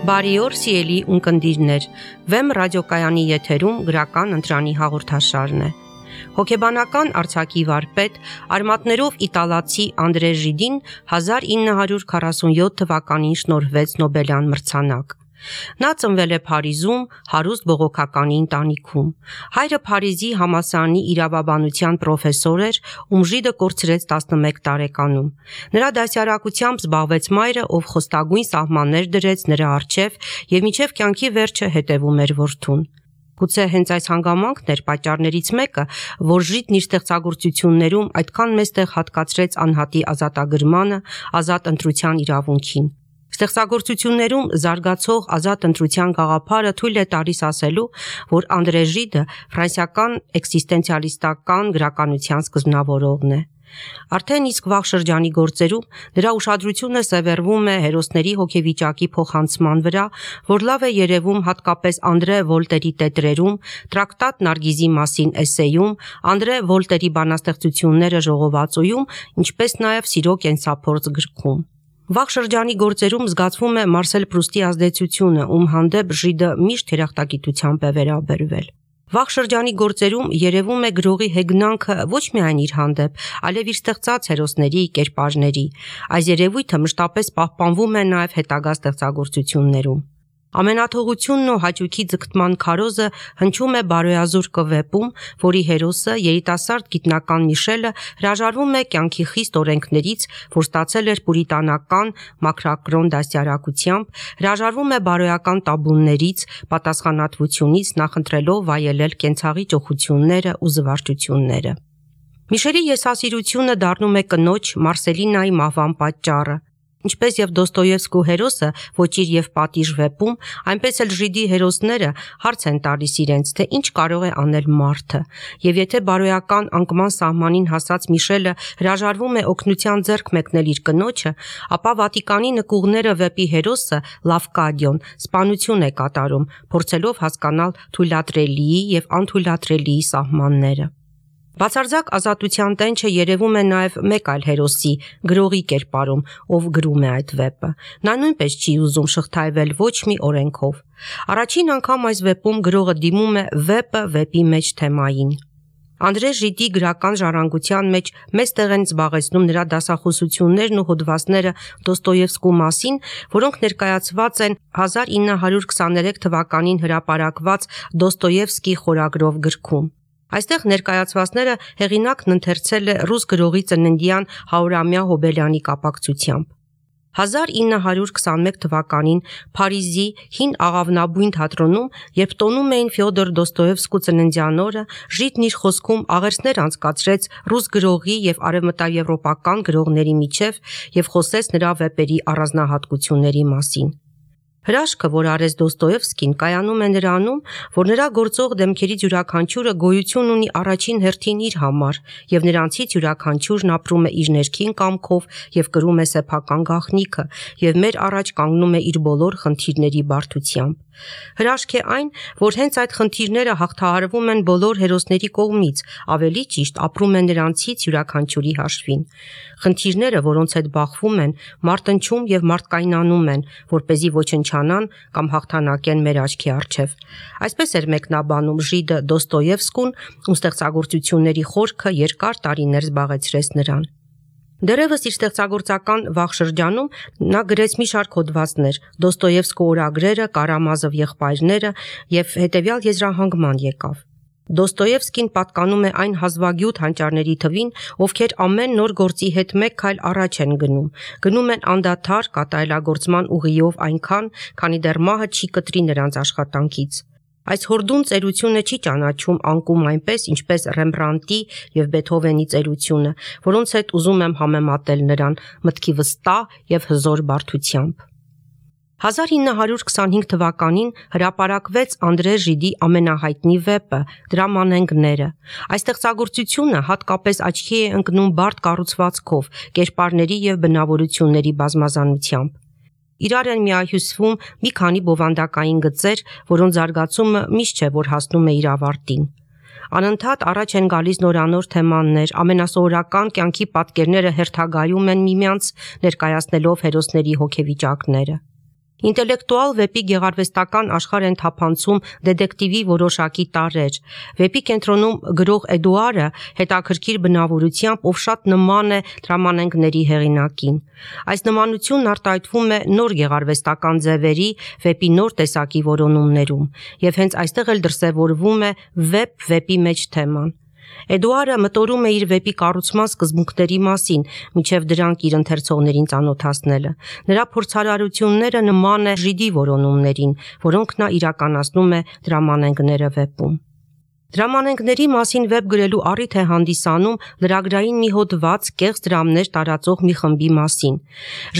Բարի օր, սիրելի ունկնդիրներ, Վեմ ռադիոկայանի եթերում գրական ընտրանի հաղորդաշարն է։ Հոգեբանական արձակի վարպետ, արմատներով իտալացի Անդրե Ժիդին 1947 թվականին շնորհվեց Նոբելյան մրցանակ։ Նա ծնվել է Փարիզում, հարուստ բողոքականի ընտանիքում։ Հայրը Փարիզի համալսարանի իրավաբանության պրոֆեսոր էր, ում ժիդը կորցրեց 11 տարեկանում։ Նրա դասյարակությամբ զբաղվեց մայրը, ով խոստագույն սահմաններ դրեց նրա առջև եւ մինչեւ կյանքի վերջը հետևում էր որդուն։ Գուցե հենց այս հանգամանքն էր պատճառներից մեկը, որ Ժիդն իր ստեղծագործություններում այդքան մեծ տեղ հատկացրեց անհատի ազատագրմանը, ազատ ընտրության իրավունքին։ Ստեղծագործություններում զարգացող ազատ ընտրության գաղափարը թույլ է տալիս ասելու, որ Անդրե Ժիդը ֆրանսիական էքզիստենցիալիստական գրականության սկզբնավորողն է։ Արդեն իսկ վաղ շրջանի գործերում նրա ուշադրությունը սևեռվում է հերոսների հոգեվիճակի փոխանցման վրա, որ լավ է երևում հատկապես Անդրե Վոլտերի տետրերում, Տրակտատ Նարգիզի մասին էսսեյում, Անդրե Վոլտերի բանաստեղծությունները ժողովածուում, ինչպես նաև Սիրո կենսափորձ գրքում։ Վաղ շրջանի գործերում զգացվում է Մարսել Պրուստի ազդեցությունը, ում հանդեպ Ժիդը միշտ երախտագիտությամբ է վերաբերվել։ Վաղ շրջանի գործերում երևում է գրողի հեգնանքը ոչ միայն իր հանդեպ, այլև իր ստեղծած հերոսների, կերպարների։ Այս երևույթը մշտապես պահպանվում է նաև հետագա ստեղծագործություններում։ Ամենաթողությունն ու հաճույքի ձգտման քարոզը հնչում է Բարոյազուր կվեպում, որի հերոսը երիտասարդ գիտնական Միշելը հրաժարվում է կյանքի խիստ օրենքներից, որ ստացել էր պուրիտանական մաքրակրոն դաստիարակությամբ, հրաժարվում է բարոյական տաբուներից, պատասխանատվությունից, նախընտրելով վայելել կենցաղի ճոխությունները ու զվարճությունները։ Միշելի եսասիրությունը դառնում է կնոջ Մարսելինայի մահվան պատճառը։ Ինչպես եւ Դոստոևսկու հերոսը Ոճիր եւ պատիժ վեպում, այնպես էլ Ժիդի հերոսները հարց են տալիս իրենց, թե ինչ կարող է անել մարդը, եւ եթե բարոյական անկման սահմանին հասած Միշելը հրաժարվում է օգնության ձեռք մեկնել իր կնոջը, ապա Վատիկանի նկուղները վեպի հերոսը Լավկադիոն սպանություն է կատարում, փորձելով հասկանալ թույլատրելիի եւ անթույլատրելիի սահմանները։ Բացարձակ ազատության տենչը երևում է նաև մեկ այլ հերոսի, գրողի կերպարում, ով գրում է այդ վեպը։ Նա նույնպես չի ուզում շղթայվել ոչ մի օրենքով։ Առաջին անգամ այս վեպում գրողը դիմում է վեպը վեպի մեջ թեմային։ Անդրե Ժիդի գրական ժառանգության մեջ մեծ տեղ են զբաղեցնում նրա դասախոսություններն ու հոդվածները Դոստոևսկու մասին, որոնք ներկայացված են 1923 թվականին հրապարակված Դոստոևսկի խորագրով գրքում։ Այստեղ ներկայացվածները հեղինակն ընթերցել է ռուս գրողի ծննդյան 100-ամյա հոբելյանի կապակցությամբ։ 1921 թվականին Փարիզի հին աղավնաբույն թատրոնում, երբ տոնում էին Ֆյոդոր Դոստոևսկու ծննդյան օրը, Ժիդն իր խոսքում աղերսներ անցկացրեց ռուս գրողի եւ արևմտաեվրոպական գրողների միջև եւ խոսեց նրա վեպերի առանձնահատկությունների մասին։ Հրաշքը, որ արեց Դոստոևսկին, կայանում է նրանում, որ նրա գործող դեմքերից յուրաքանչյուրը գոյություն ունի առաջին հերթին իր համար, եւ նրանցից յուրաքանչյուրն ապրում է իր ներքին կամքով եւ կրում է սեփական գաղտնիքը, եւ մեր առաջ կանգնում է իր բոլոր խնդիրների բարդությամբ։ Հրաշք է այն, որ հենց այդ խնդիրները հաղթահարվում են բոլոր հերոսների կողմից, ավելի ճիշտ ապրում են նրանցից յուրաքանչյուրի հաշվին։ Խնդիրները, որոնց հետ բախվում են, մարտնչում եւ մարդկայնանում են, որպեսզի ոչնչանան կամ հաղթանակեն մեր աչքի առջև։ Այսպես էր մեկնաբանում Ժիդը Դոստոևսկուն, ում ստեղծագործությունների խորքը երկար տարիներ զբաղեցրեց նրան։ Դեռևս իր ստեղծագործական վաղ շրջանում նա գրեց մի շարք հոդվածներ, Դոստոևսկու օրագրերը, Կարամազով եղբայրները եւ հետեւյալ եզրահանգման եկավ։ Դոստոևսկին պատկանում է այն հազվագյուտ հանճարների թվին, ովքեր ամեն նոր գործի հետ մեկ քայլ առաջ են գնում են անդադար կատարելագործման ուղիով այնքան, քանի դեռ մահը չի կտրի նրանց աշխատանքից։ Այս հորդուն ծերությունը չի ճանաչում անկում այնպես, ինչպես Ռեմբրանտի եւ Բեթհովենի ծերությունը, որոնց հետ ուզում եմ համեմատել նրան մտքի վստահ եւ հզոր բարդությամբ։ 1925 թվականին հրապարակվեց Անդրե Ժիդի ամենահայտնի վեպը Դրամանենգները։ Այս ստեղծագործությունը հատկապես աչքի է ընկնում բարդ կառուցվածքով, կերպարների եւ բնավորությունների բազմազանությամբ։ Իրար են միահյուսվում մի քանի բովանդակային գծեր, որոնց զարգացումը միշտ չէ, որ հասնում է իր ավարտին։ Անընդհատ առաջ են գալիս նորանոր թեմաներ, ամենասովորական կյանքի պատկերները հերթագայում են միմյանց, ներկայացնելով հերոսների հոգեվիճակները։ Ինտելեկտուալ վեպի գեղարվեստական աշխարհ են թափանցում դետեկտիվի որոշակի տարրեր։ Վեպի կենտրոնում գրող Էդուարը հետաքրքիր բնավորությամբ, ով շատ նման է դրամանենգների հեղինակին։ Այս նմանությունն արտահայտվում է նոր գեղարվեստական ձևերի, վեպի նոր տեսակի որոնումներում, եւ հենց այստեղ էլ դրսևորվում է վեպի մեջ թեման։ Էդուարը մտորում է իր վեպի կառուցման սկզբունքների մասին, մինչև դրանք իր ընթերցողներին ծանոթացնելը։ Նրա փորձարարությունները նման է ժիդի որոնումներին, որոնք նա իրականացնում է դրամանենգները վեպում։ Դրամանենգների մասին վեպ գրելու առիթ է հանդիսանում լրագրային մի հոդված կեղծ դրամներ տարածող մի խմբի մասին։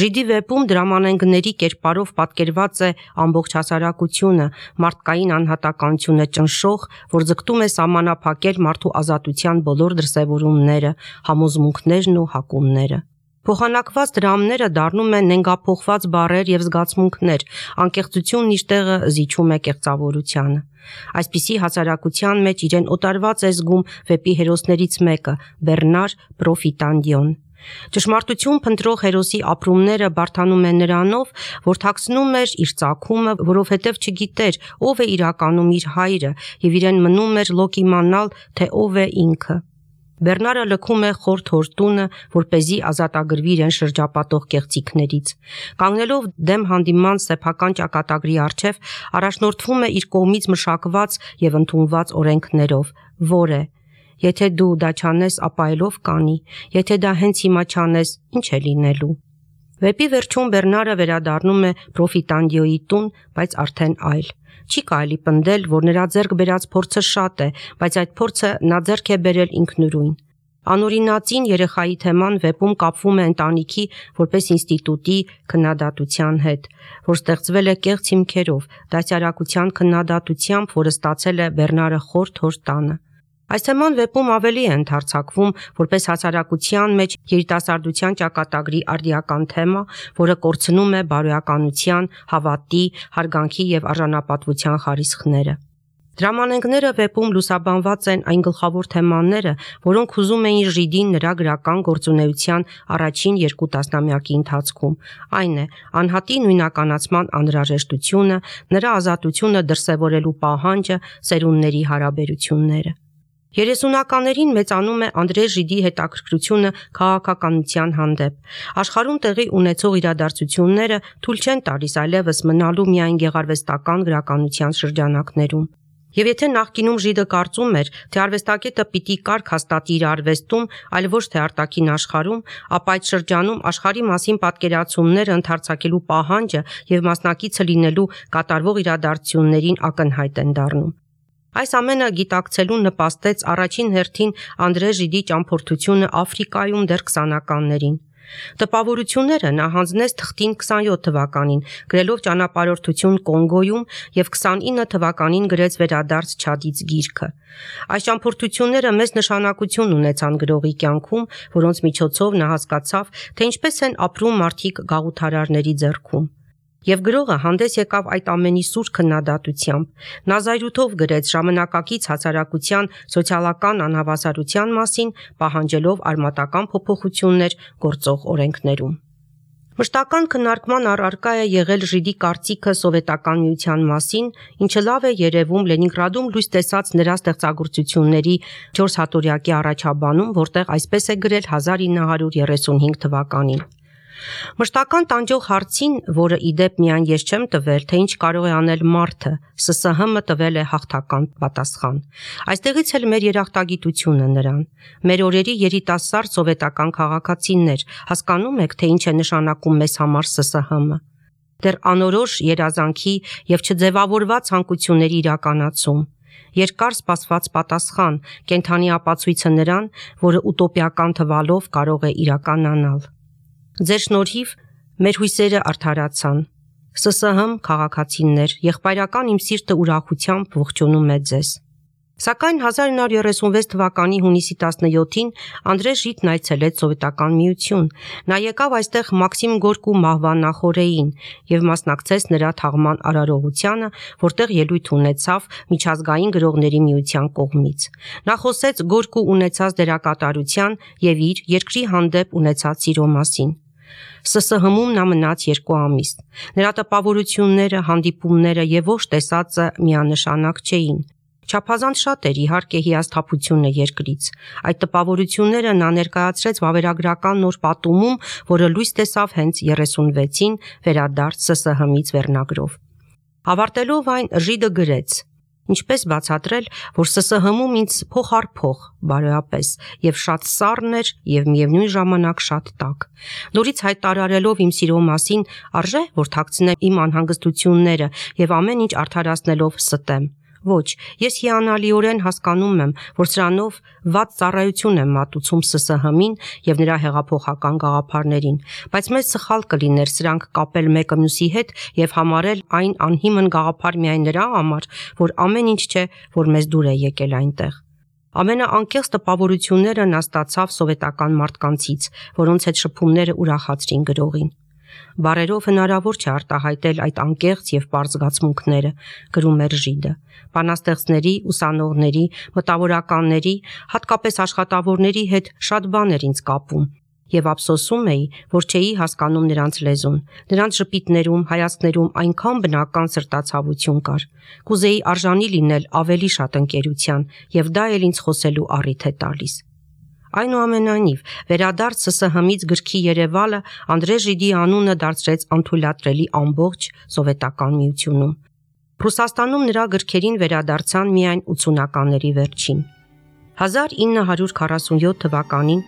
Ժիդի վեպում դրամանենգների կերպարով պատկերված է ամբողջ հասարակությունը, մարդկային անհատականությունը ճնշող, որ ձգտում է սահմանափակել մարդու ազատության բոլոր դրսևորումները, համոզմունքներն ու հակումները։ Փոխանակված դրամները դառնում են նենգափոխված բառեր եւ զգացմունքներ, անկեղծությունն իր տեղը զիջում է կեղծավորությանը։ Այսպիսի հասարակության մեջ իրեն օտարված է զգում վեպի հերոսներից մեկը՝ Բեռնար Պրոֆիտանդիոն։ Ճշմարտություն փնտրող հերոսի ապրումները բարդանում են նրանով, որ թաքցնում էր իր ծագումը, որովհետև չգիտեր ով է իրականում իր հայրը եւ իրեն մնում էր լոկ իմանալ, թե ով է ինքը։ Բեռնարը լքում է խորթ հորտունը, որպեսզի ազատագրվի իրեն շրջապատող կեղծիքներից։ Կանգնելով դեմ հանդիման սեփական ճակատագրի առջև, առաջնորդվում է իր կողմից մշակված եւ ընդունված օրենքներով, որ է. եթե դու դա չանես, ապա ելով կանի, եթե դա հենց հիմա չանես, ինչ է լինելու։ Վեպի վերջում Բեռնարը վերադառնում է Պրոֆիտանդիոյի տուն, բայց արդեն այլ։ Չի կարելի պնդել, որ նրա ձեռք բերած փորձը շատ է, բայց այդ փորձը նա ձեռք է բերել ինքնուրույն։ Անօրինածին երեխայի թեման վեպում կապվում է ընտանիքի որպես ինստիտուտի քննադատության հետ, որ ստեղծվել է կեղծ հիմքերով, դասյարակության քննադատությամբ, որը ստացել է Բեռնարը խորթ հոր տանը։ Այս թեման վեպում ավելի է ընդարձակվում որպես հասարակության մեջ երիտասարդության ճակատագրի արդիական թեմա, որը կորցնում է բարոյականության, հավատի, հարգանքի եւ արժանապատվության խարիսխները։ Դրամանենգները վեպում լուսաբանված են այն գլխավոր թեմաները, որոնք հուզում էին Ժիդին նրա գրական գործունեության առաջին 2 տասնամյակի ընթացքում։ Այն է անհատի նույնականացման անհրաժեշտությունը, նրա ազատությունը դրսևորելու պահանջը, սերունդների հարաբերությունները։ 30-ականներին մեծանում է Անդրե Ժիդի հետաքրքրությունը քաղաքականության հանդեպ։ Աշխարհում տեղի ունեցող իրադարձությունները թույլ չեն տալիս այլևս մնալու միայն գեղարվեստական գրականության շրջանակներում։ Եվ եթե նախկինում Ժիդը կարծում էր, թե արվեստագետը պիտի կարգ հաստատի իր արվեստում, այլ ոչ թե արտաքին աշխարհում, ապա այդ շրջանում աշխարհի մասին պատկերացումները ընդարձակելու պահանջը եւ մասնակիցը լինելու կատարվող իրադարձություններին ակնհայտ են դառնում։ Այս ամենը գիտակցելուն նպաստեց առաջին հերթին Անդրե Ժիդի ճամփորդությունը Աֆրիկայում դեռ 20-ականներին։ Տպավորությունները նա հանձնեց թղթին 27 թվականին, գրելով ճանապարհորդություն Կոնգոյում եւ 29 թվականին գրեց Վերադարձ Չադից գիրքը։ Այս ճամփորդությունները մեծ նշանակություն ունեցան գրողի կյանքում, որոնց միջոցով նա հասկացավ, թե ինչպես են ապրում մարդիկ գաղութարարների ձեռքում։ Եվ գրողը հանդես եկավ այդ ամենի սուր քննադատությամբ։ Նա զայրույթով գրեց ժամանակակից հասարակության սոցիալական անհավասարության մասին, պահանջելով արմատական փոփոխություններ գործող օրենքներում։ Մշտական քննարկման առարկա է եղել Ժիդի կարծիքը սովետական միության մասին, ինչը լավ է երևում Լենինգրադում լույս տեսած նրա ստեղծագործությունների 400-ամյակի առաջաբանում, որտեղ այսպես է գրել 1935 թվականին։ Մշտական տանջող հարցին, որը իդեպ միայն ես չեմ տվել, թե ինչ կարող է անել մարդը, ՍՍՀՄ տվել է հաղթական պատասխան։ Այստեղից էլ մեր երախտագիտությունը նրան։ Մեր օրերի երիտասարդ սովետական քաղաքացիներ, հասկանում եք, թե ինչ է նշանակում մեզ համար ՍՍՀՄ։ Դեռ անորոշ երազանքի եւ չձևավորված ցանկությունների իրականացում։ Երկար սպասված պատասխան, կենթանի ապացույցը նրան, որը ուտոպիական թվալով կարող է իրականանալ։ Ձեր շնորհիվ մեր հույսերը արդարացան։ ՍՍՀՄ քաղաքացիներ, եղբայրական իմ սիրտը ուրախությամբ ողջունում է ձեզ։ Սակայն 1936 թվականի հունիսի 17-ին Անդրե Ժիդն այցելեց Սովետական միություն։ Նա եկավ այստեղ Մաքսիմ Գորկու մահվան նախօրեին եւ մասնակցեց նրա թաղման արարողությանը, որտեղ ելույթ ունեցավ Միջազգային գրողների միության կողմից։ Նա խոսեց Գորկու ունեցած դերակատարության եւ իր երկրի հանդեպ ունեցած սիրո մասին։ ՍՍՀ-ում նա մնաց 2 ամիս։ Նրա տպավորությունները, հանդիպումները եւ ոչ տեսածը միանշանակ չէին։ Չափազանց շատ էր իհարկե հիասթափությունը երկրից։ Այդ տպավորությունները նա ներկայացրեց վավերագրական նոր պատումում, որը լույս տեսավ հենց 36-ին վերադարձ ՍՍՀ-ից վերնագրով։ Ավարտելով այն, Ժիդը գրեց. «Ինչպես բացատրել, որ ՍՍՀ-ում ինձ փող առ փող, բարոյապես, եւ շատ սառն էր եւ միևնույն ժամանակ շատ տաք։ Նորից հայտարարելով իմ սիրո մասին, արժե որ թաքցնեմ իմ անհանգստությունները եւ ամեն ինչ արդարացնելով ստեմ։ Ոչ, ես հիանալիորեն հասկանում եմ, որ սրանով վատ ծառայություն եմ մատուցում ՍՍՀ-ին եւ նրա հեղափոխական գաղափարներին, բայց մեծ սխալ կլիներ սրանք կապել մեկը մյուսի հետ եւ համարել այն անհիմն գաղափար միայն նրա համար, որ ամեն ինչ չէ, որ մեզ դուր է եկել այնտեղ։ Ամենաանկեղծ տպավորությունները նա ստացավ սովետական մարդկանցից, որոնց հետ շփումները ուրախացրին գրողին։ Բառերով հնարավոր չէ արտահայտել այդ անկեղծ եւ պարզ զգացմունքները, գրում էր Ժիդը։ Բանաստեղծների, ուսանողների, մտավորականների, հատկապես աշխատավորների հետ շատ բան էր ինձ կապում, եւ ափսոսում էի, որ չէի հասկանում նրանց լեզուն։ Նրանց ժպիտներում, հայացքներում այնքան բնական սրտացավություն կար։ Կուզեի արժանի լինել ավելի շատ ընկերության, եւ դա էլ ինձ խոսելու առիթ է տալիս։ Այնուամենայնիվ, վերադարձ ՍՍՀ-ից գրքի երևալը Անդրե Ժիդի անունը դարձրեց անթույլատրելի ամբողջ Սովետական Միությունում։ Ռուսաստանում նրա գրքերին վերադարձան միայն 80-ականների վերջին։ 1947 թվականին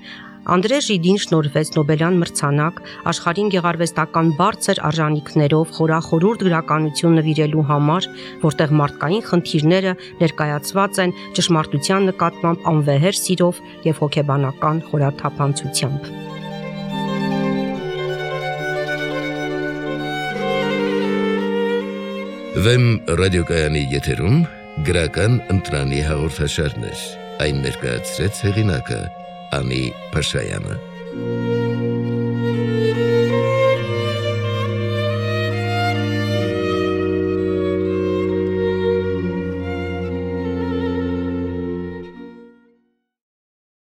Անդրե Ժիդին շնորհվեց Նոբելյան մրցանակ աշխարհին գեղարվեստական բարձր արժանինքներով խորախորհուրդ գրականություն նվիրելու համար, որտեղ մարդկային խնդիրները ներկայացված են ճշմարտության նկատմամբ անվեհեր սիրով եւ հոգեբանական խորաթափանցությամբ։ Վեմ ռադիոկայանի եթերում գրական ընտրանի հաղորդաշարներ։ Այն ներկայացրեց հեղինակը Անի Փաշայանը։